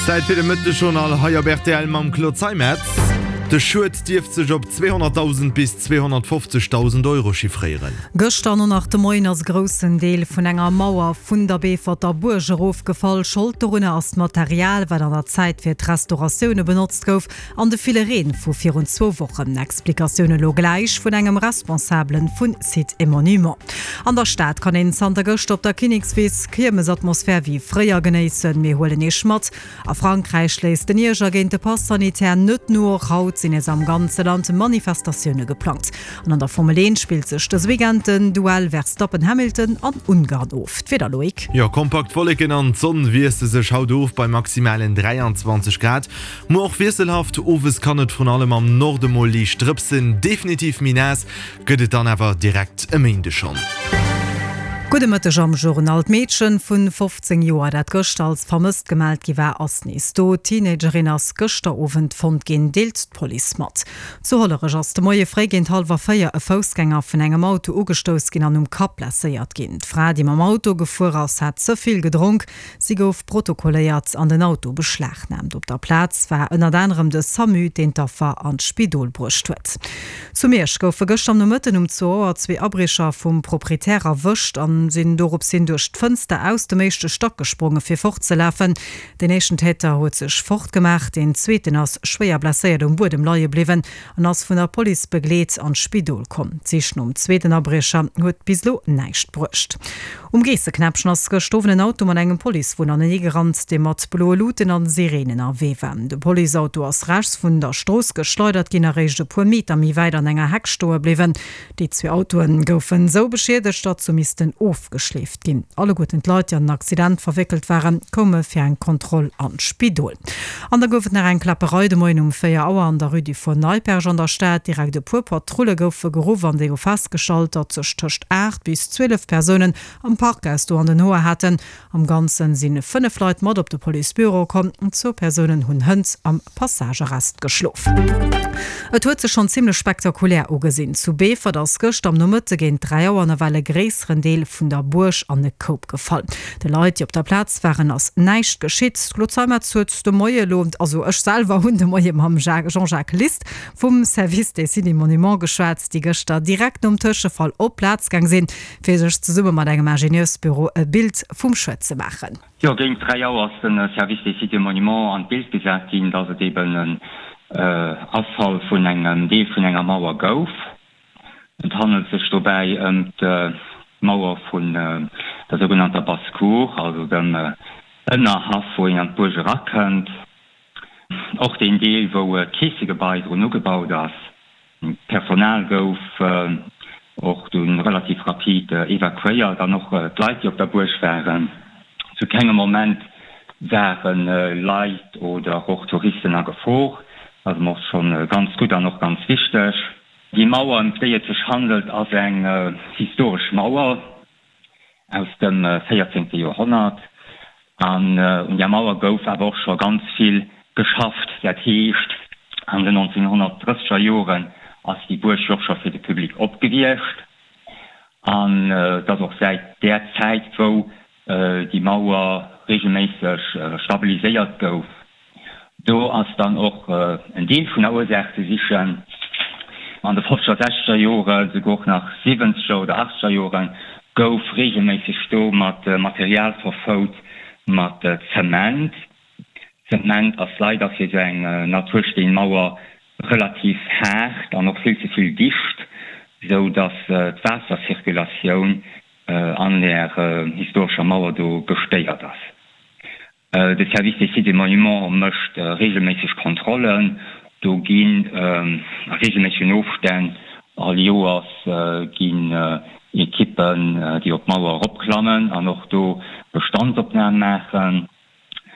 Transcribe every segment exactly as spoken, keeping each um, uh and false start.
Zäit fir de Mëttesjournal hei op rtl mam Claude Zeimetz. De Schued dierft sech op zweehonnertdausend bis zweehonnertfofzegdausend Euro chiffréieren. Gëschter no nach de Moien ass e groussen Deel vun enger Mauer vun der Beeforter Buerg erofgefall. Schold dorunner ass d'Material, wat an der Zäit fir d'Restauratioune benotzt gouf, an de ville Reen vu virun zwou Wochen. Explikatioune lo gläich vun engem Responsabele vu Sites et Monuments. An der Stad kann een zanter gëschter op der Kinnekswiss Kiermesatmosphär wéi fréier genéissen. Mir huelen Iech mat. A Frankräich léisst den Ierger géint de Pass sanitaire net no. Och haut sinn nees am ganze Land Manifestatioune geplangt. An an der Formel eent spillt sech dës Weekend den Duell Verstappen-Hamilton an Ungarn of. D'Wieder, Loïc? Jo, kompakt Wolleken an d'Sonn wiessle sech haut of bei maximalen dräianzwanzeg Grad. Muer och wiesselhaft, owes kann et vrun allem am Norde mol liicht drëpsen. Definitiv méi naass gëtt et dann awer direkt e Méinde schonn. Gudde Mëtteg am Journal. D'Meedchen vun fofzéng Joer, dat gëschter als vermësst gemellt gi war, ass nees do. D'Teenagerin ass gëschter Owend fonnt ginn, deelt d'Police mat. Zu Hollerech ass de Moie fréi géint hallwer véier e Foussgänger vun engem Auto ugestouss ginn an um Kapp blesséiert ginn. D'Fra, déi mam Auto gefuer ass, hat ze vill gedronk. Si gouf protokolléiert an den Auto beschlagnaamt. Op der Plaz war ënnert anerem de Samu, deen d'Affer an d'Spidol bruecht huet. Zu Miersch goufe gëschter am Nomëtten um zwou Auer zwee Abriecher vum Proprietär erwëscht an sinn dorops hin duerch d'Fënster aus dem éischte Stack gespronge fir fortzelafen. Deen éischten Täter huet sech fortgemaach, deen zweeten ass schwéier blesséiert um Buedem leie bliwwen an ass vun der Police begleet an d'Spidol komm. D'Sich nom zweeten Abriecher huet bis elo näischt bruecht. Um Geesseknäppchen ass gëscht Owend en Auto mat engem Policewon anenee gerannt, dee mat bloe Luuten an Sireenen ënnerwee war. De Policeauto ass rechts vun der Strooss geschleidert ginn a réischt e puer Meter méi wäit an enger Heck stoe bliwwen. Déi zwee Autoe goufen esou beschiedegt, datt se missten ofgeschleeft ginn. Alleguerten d'Leit, déi an den Accident verwéckelt waren, koume fir eng Kontroll an d'Spidol. An da gouf et nach eng Kläpperei de Moien um véier Auer an der Rue du Four Neipperg an der Stad. Direkt e puer Patrulle goufe geruff an déi hu festgestallt, datt sech tëscht aacht bis zwielef Persounen am Parkhaus do an den Hoer haten. Am Ganzen si fënnef Leit mat op de Policebüro komm, zwou Persounen hunn hënt am Passagearrest geschlof. Et huet sech schonn zimmlech spektakulär ugesinn. Zu Beefort ass gëschter am Nomëtte géint dräi Auer nawell e gréisseren Deel vun der Buerg an e Koup gefall. De Leit, déi op der Plaz waren, ass näischt geschitt. D'Claude Zeimetz huet de Moie elo, also ech selwer hunn de Moie mam Jean-Jacques List vum Service des Sites et Monuments geschwat, déi gëschter direkt nom Tëschefall op d'Plaz gaang sinn, fir sech zesumme mat engem Ingenieursbüro e Bild vum Schued ze maachen. Jo, géint dräi Auer ass de Service des Sites et Monuments an d'Bild gesat ginn, dass et eben en Afall vun engem Deel vun enger Mauer gouf. Et handelt sech dobäi ëm d'Mauer vun der sougenannter Basse-Cour, also dem Ënnerhaff, wou een an d'Buerg erakënnt. Och deen Deel, wou d'Keessegebai drun ugebaut ass. D'Personal gouf och dunn relativ rapid evakuéiert an och d'Leit, déi op der Buerg waren. Zu kengem Moment ware Leit oder och Touristen a Gefor. Dat ass mer och scho ganz gutt an och ganz wichteg. Déi Mauer, ëm déi et sech handelt, ass eng historesch Mauer aus dem véierzéngte Joerhonnert. An un där Mauer gouf awer och scho ganz vill geschafft. Dat heescht, an den nonzénhonnertdrësseger Joren ass déi Buerg jo och scho fir de Public op gewiescht. An et ass och säit där Zäit, wou déi Mauer regelméisseg stabiliséiert gouf. Do ass dann och en Deel vun der Ursaach ze sichen. An de fofzeger, sechzeger Joren, souguer och nach siwwenzeger oder achtzeger Joren, gouf regelméisseg do mat Material verfout, mat Zement. Zement ass leider fir esou eng Natursteenmauer relativ haart an och vill ze vill dicht, esou datt d'Waassercirculatioun an där historescher Mauer do gestéiert ass. De Service des Sites et Monuments mécht reegelméisseg Kontrollen. Do ginn a reegelméissegen Ofstänn all Joers ginn Ekippen, déi op d'Mauer eropklammen an och do Bestandsopnam maachen.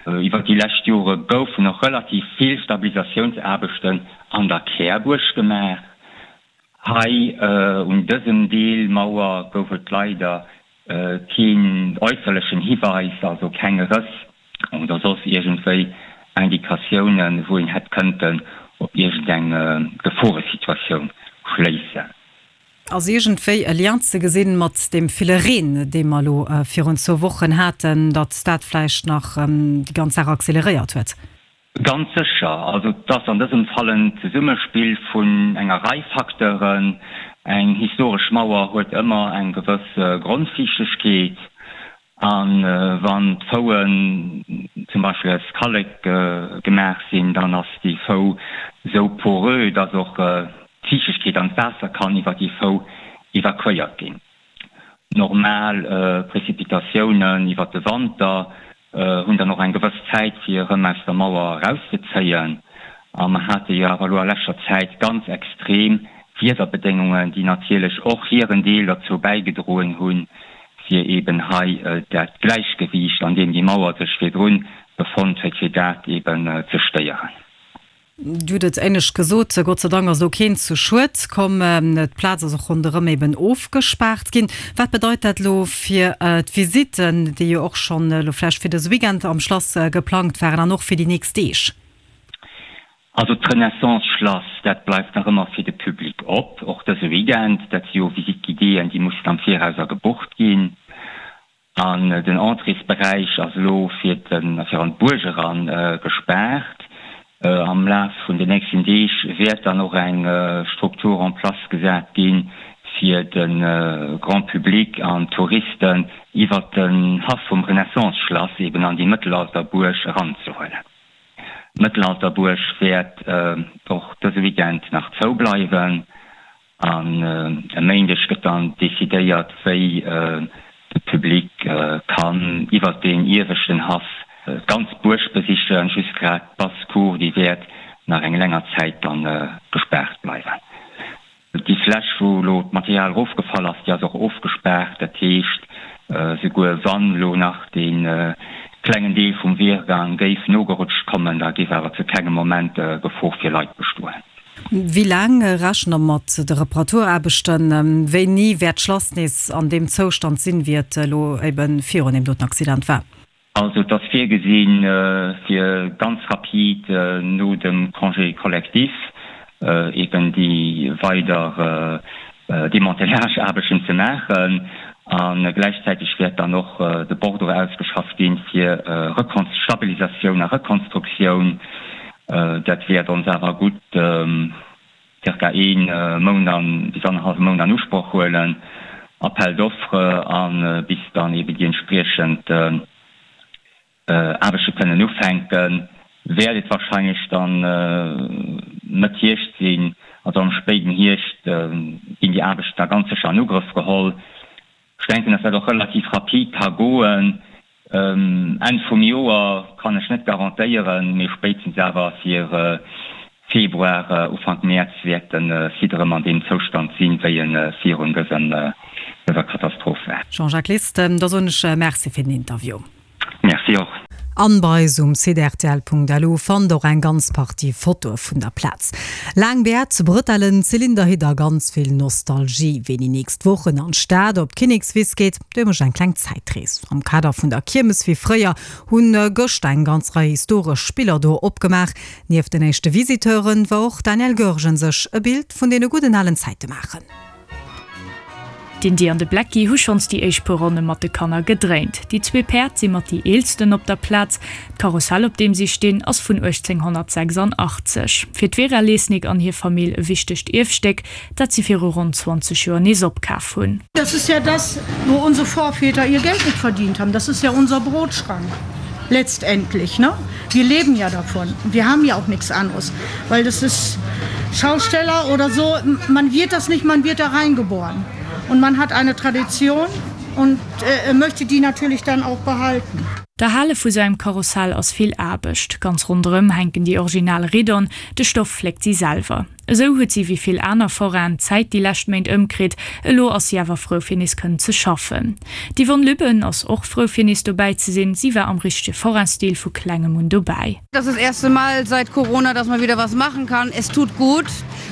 Iwwer déi lescht Jore goufen och relativ vill Stabilisatiounsaarbechten an der Kärbuerg gemaach. Hei un dësem Deel Mauer gouf et leider keen äusserlechen Hiweis, also keng Rëss oder soss iergendwéi Indikatiounen, wou een hätt kënnten op iergendeng Geforesituatioun schléissen. Ass iergendwéi e Lien ze gesinn mat deem ville Reen, dee mer elo virun zwou Wochen haten, datt dat vläicht nach déi ganz Saach acceleréiert huet? Ganz sécher. Also et ass an dësem Fall en Zesummespill vun enger Rei Facteuren. Eng historesch Mauer huet ëmmer eng gewëss Grondfiichtegkeet. A wann d'Fouen zum Beispill aus Kallek gemaach sinn, dann ass déi Fou esou poreux, dass och d'Fiichtegkeet an d'Waasser kann iwwer déi Fou evakuéiert ginn. Normal Prezipitatiounen iwwer de Wanter hunn dann och eng gewëss Zäit fir erëm aus der Mauer erauszezéien. A mer hate jo awer elo a leschter Zäit ganz extrem Wiederbedéngungen, déi natierlech och hiren Deel derzou bäigedroen hunn, fir eeben hei dat Gläichgewiicht, an deem déi Mauer sech virdrun befonnt huet, fir dat eeben ze stéieren. Dir hutt et éinescht gesot, Gott sei Dank ass elo keen zu Schued komm. D'Plaz ass och ronderëm eben ofgespaart ginn. Wat bedeit dat elo fir d'Visitten, déi jo och schonn elo vläicht fir dëse Weekend am Schlass geplangt waren an och fir déi nächst Deeg? Also d'Renaissance-Schlass, dat bleift nach ëmmer fir de Public op, och dëse Weekend. Dat si jo Visite-guidéeën, déi mussen am Viraus gebucht ginn. An den Entréesberäich ass elo fir fir an d'Buerg eran gespaart. Am Laf vun den nächsten Deeg wäert dann och eng Struktur en place gesat ginn, fir de Grand Public an d'Touristen iwwert den Haff vum Renaissance-Schlass eben an déi Mëttelalterbuerg eranzehuelen. D'Mëttelalterbuerg wäert och dëse Weekend nach zou bleiwen an e Méindeg gëtt dann decidéiert, wéi de Public kann iwwert deen ieweschten Haff d'ganz Buerg besichen. Just grad d'Basse-Cour, déi wäert nach eng länger Zäit dann gespaart bleiwen. Déi Fläch, wou elo d'Material erofgefall ass, déi ass och ofgespaart. Dat heescht, souguer wann elo nach dee klengen Deel vum Wehrgang géif nogerutscht kommen, da géif awer zu kengem Moment Gefor fir Leit bestoen. Wéi laang rechent Der mat de Reparaturaarbechten? Wéini wäert d'Schlass nees an deem Zoustand sinn, wéi et elo ebe virun deem doten Accident war? Also et ass virgesinn, fir ganz rapid no dem Congé collectif eben déi weider Démantelage-Aarbechten ze maachen. A gläichzäiteg wäert dann och de Bordereau ausgeschafft ginn fir Stabilisatioun a Rekonstruktioun. Dat wäert ons awer gutt zirka ee Mount an bis annerhallwe Mount an Usproch huelen, Appel d'offres a bis dann eben déi entspriechend Aarbechte kënnen ufänken, wäert et wahrscheinlech dann Mëtt Hierscht sinn. Also am spéiden Hierscht ginn déi Aarbechten da ganz sécher an Ugrëff geholl. Ech denken, dass dat och relativ rapid ka goen. Enn vum Joer kann ech net garantéieren, mee spéitstens awer fir Februar, Ufank Mäerz wäert de Site erëm an deem Zoustand sinn, wéi e virun dëser Katastroph war. Jean-Jacques List, da soen ech Merci fir den Interview. Merci och. An bei eis um Site rtl.lu fannt der och eng ganz Partie Fotoe vun der Plaz. Laang Bäert, Brëtellen, Zylinderhitt a ganz vill Nostalgie. Ween déi nächst Wochen an d'Stad op d'Kinnekswiss geet, dee mécht eng kleng Zäitrees. Am Kader vun der Kiermes wéi fréier hunn gëscht eng ganz Rei historesch Spiller do opgemaach. Nieft den éischte Visiteuren war och d'Danièle Goergen sech e Bild vun deene gudden alen Zäite maachen. D'Indy an de Blacky hu schonns déi éischt puer Ronne mat de Kanner gedréint. Déi zwee Päerd si mat déi eelsten op der Plaz. D'Karussell, op deem si stinn, ass vun uechtzénghonnertsechsandachtzeg Fir d'Vera Lesnick an hir Famill e wichtegt Ierfstéck, dat si viru ronn zwanzeg Joer nees opkaf hunn. Das ist ja das, wo unsere Vorväter ihr Geld mit verdient haben. Das ist ja unser Brotschrank letztendlich, ne? Wir leben ja davon. Wir haben ja auch nichts anderes, weil das ist Schausteller oder so, man wird das nicht, man wird da reingeboren. Und man hat eine Tradition und möchte die natürlich dann auch behalten. D'Erhale vu sou engem Karussell ass vill Aarbecht. Ganz ronderëm hänken déi original Riddon, de Stoff fléckt si selwer. Esou huet si wéi vill aner Forainen d'Zäit déi lescht Méint ëmkritt. Elo ass si awer frou fir nees kënnen ze schaffen. D'Yvonne Lübben ass och frou fir nees dobäi ze sinn. Si war am richtege Forain-Stil vu klengem un dobäi. Das ist das erste Mal seit Corona, dass man wieder was machen kann. Es tut gut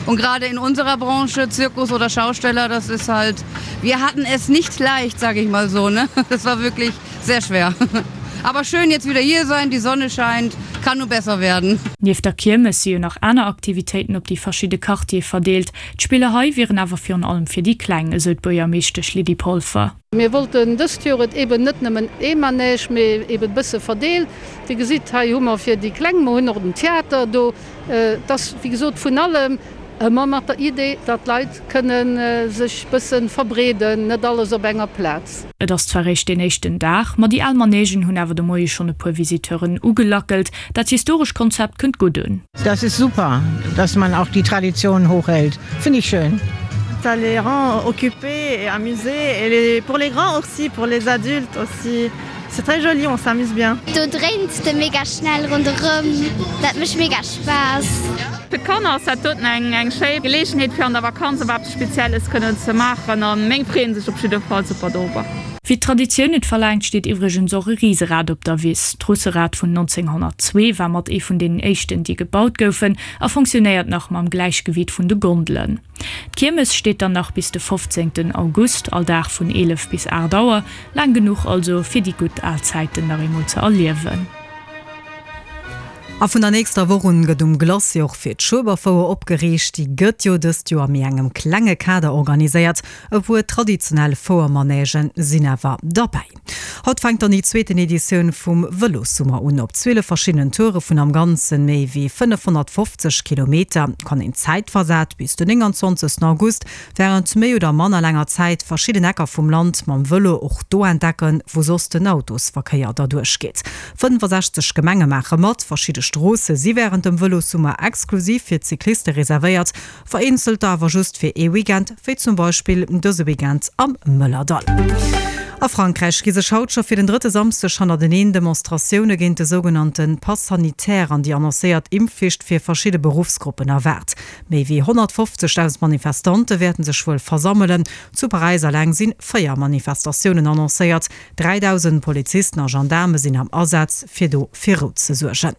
und gerade in unserer Branche, Zirkus oder Schausteller, das ist halt, wir hatten es nicht leicht, sage ich mal so, ne? Das war wirklich sehr schwer. Aber schön jetzt wieder hier sein, die Sonne scheint, kann nur besser werden. Nieft der Kiermes si jo nach aner Aktivitéiten op déi verschidde Quartiere verdeelt. D'Spiller hei wieren awer virun allem fir déi Kleng, esou d'Buergermeeschtesch Lydie Polfer. Mir wollten dëst Joer et eben net nëmmen ee Manège, mee eben e bësse verdeelt. Dir gesitt, hei hu mer fir déi Kleng, mer hunn och den Theater do. Et ass wéi gesot vun allem, ëmmer mat der Idee, datt d'Leit kënne sech bësse verbreeden, net alles op enger Plaz. Et ass zwar réischt deen éischten Dag, ma déi al Manègen hunn awer de Moie schonn e puer Visiteuren ugelackelt. Dat historescht Konzept kënnt gutt un. Das ist super, dass man auch die Tradition hochhält, finde ich schön. Ça les rend occupés et amusés et les pour les grands aussi, pour les adultes aussi. C'est très joli, on s'amuse bien. Do dréins de mega schnell ronderëm, dat mécht mega Spaass. Fir d'Kanner ass dat doten eng eng schéi Geleegenheet fir an der Vakanz op eppes Spezielles kënnen ze maachen an meng freeën sech op jidde Fall super dorobber. Wéi d'Traditioun et verlaangt steet iwwregens och e Riserad op der Wiss. D'Russerad vun nonzénghonnertzwee war mat ee vun deenen éischten déi gebaut goufen a fonctionnéiert nach mam Gläichgewiit vun de Gondelen. D'Kiermes steet dann nach bis de fofzéngten August, all Dag vun eelef bis aacht Auer. Laang genuch also fir déi gutt al Zäiten nach eemol ze erliewen. A vun der nächster Woch un gëtt um Glacis och fir d'Schueberfouer opgeriicht. Déi gëtt jo dëst Joer a méi engem klenge Kader organiséiert. E puer traditionell Fouermanègen sinn awer derbäi. Haut fänkt dann déi zweeten Editioun vum Vëlossummer un. Op zwielef verschiddenen Toure vun am Ganzen méi wéi fënnefhonnertfofzeg Kilometer kann een zäitversat bis den nénganzwanzegsten August wärend méi oder manner laanger Zäit verschidden Ecker vum Land mam Vëlo och do entdecken, wou soss den Autosverkéier derduerch geet. fënnefasechzeg Gemenge maache mat, verschidde Stroosse si wärend dem Vëlossummer exklusiv fir d'Cycliste reservéiert, vereenzelter awer just fir ee Weekend, wéi zum Beispill dëse Weekend am Mëllerdall. A Frankräich gi sech haut scho fir den drëtte Samsdeg hannerteneen Demonstratioune géint de sougenannte Pass sanitaire an déi annoncéiert Impfflicht fir verschidde Beruffsgruppen erwaart. Méi wéi honnertfofzegdausend Manifestante wäerten sech wuel versammelen. Zu Paräis eleng si véier Manifestatiounen annoncéiert. dräidausend Polizisten a Gendaarme sinn am Asaz, fir do fir Rou ze suergen.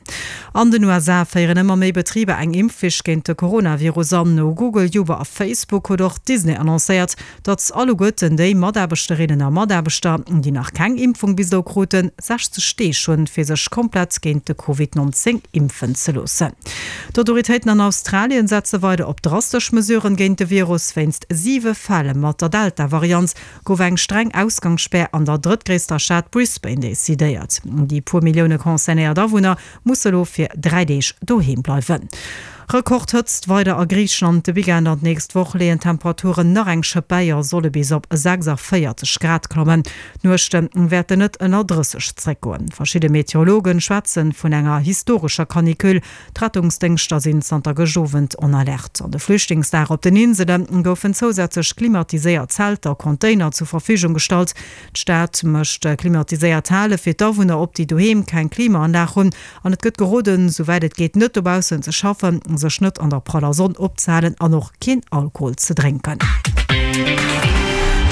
An den U S A féieren ëmmer méi Betriber eng Impfflicht géint de Coronavirus an. No Google, Uber a Facebook huet och Disney annoncéiert, datt alleguerten déi Mataarbechterinnen a Mataarbechter, déi nach keng Impfung bis elo kruten, sechzeg Deeg hunn, fir sech komplett géint de Covid nonzéng impfen ze loossen. D'Autoritéiten an Australien setze weider op drastesch Mesuren géint de Virus. Wéinst siwe Fäll mat der Delta-Variant gouf eng streng Ausgangsspär an der drëttgréisster Stad Brisbane decidéiert. Déi puer Millioune concernéiert Awunner musse elo fir dräi Deeg doheem bleiwen. Rekordhëtzt weider a Griicheland, De Weekend an d'nächst Woch leeën d'Temperaturen nach eng Schëpp bäi a solle bis op sechsundvéierzeg Grad klammen. D'Nuechte wäerten net ënner drësseg zréckgoen. Verschidde Meteorologe schwätze vun enger historescher Canicule. D'Rettungsdéngschter sinn zanter gëscht Owend en Alerte. An de Flüchtlingslager op den Insele goufen zousätzlech klimatiséiert Zelter a Container zur Verfügung gestallt. D'Stad mécht klimatiséiert Hale fir d'Awunner op, déi doheem keng Klimaanlag hunn. An et gëtt geroden, souwäit et geet net dobaussen ze schaffen, sech net an der praller Sonn opzehalen an och keen Alkohol ze drénken.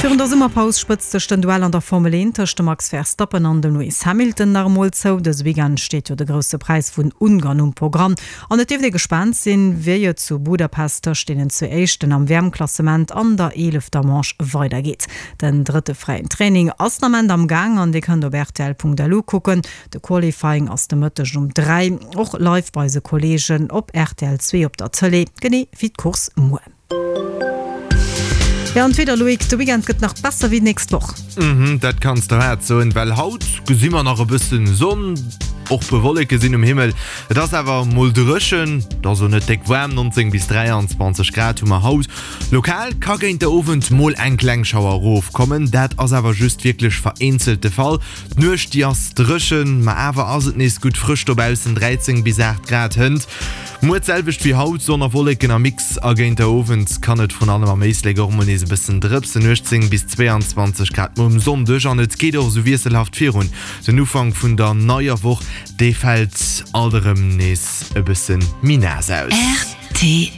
Virun der Summerpaus spëtzt sech den Duell an der Formel eent tëscht dem Max Verstappen an dem Lewis Hamilton nach emol zou. Dëse Weekend steet jo de Grousse Präis vun Ungarn um Programm an et dierft ee gespaant sinn, wéi et zu Budapest tëscht deenen zwee Éischten am W M-Klassement an der eelefter Manche weidergeet. Den drëtte fräien Training ass den Ament am Gaang an dir kënnt op rtl Punkt L U kucken. De Qualifying ass de Mëtteg um dräi och live bei eise Kolleegen op R T L zwee op der Tëlee, genee wéi d'Course muer. Jo, an d'Wieder, Loïc, de Weekend gëtt nach besser wéi d'nächst Woch. Mhm, dat kanns de haart soen, well haut gesi mer nach e bëssen Sonn, och puer Wolleke sinn um Himmel. Et ass awer mol dréchen, et ass och net déck waarm, neunzéng bis dräianzwanzeg Grad hu mer haut. Lokal ka géint de Owend mol eng kleng Schauer erofkommen, dat ass awer just wierklech vereenzelt de Fall. D'Nuecht, déi ass dréchen, ma awer ass et nees gutt frësch dobaussen, dräizéng bis aacht Grad hënt. Muer d'selwecht wéi haut, Sonn a Wolleken am Mix a géint der Owend kann et vrun allem am Éislek och mol nees e bëssen drëpsen, uechtzéng bis zweeanzwanzeg Grad muer um Sonndeg an et geet och esou wiesselhaft virun. Den Ufank vun der neier Woch, dee fält alt erëm nees e bësse méi naass aus. Rtl.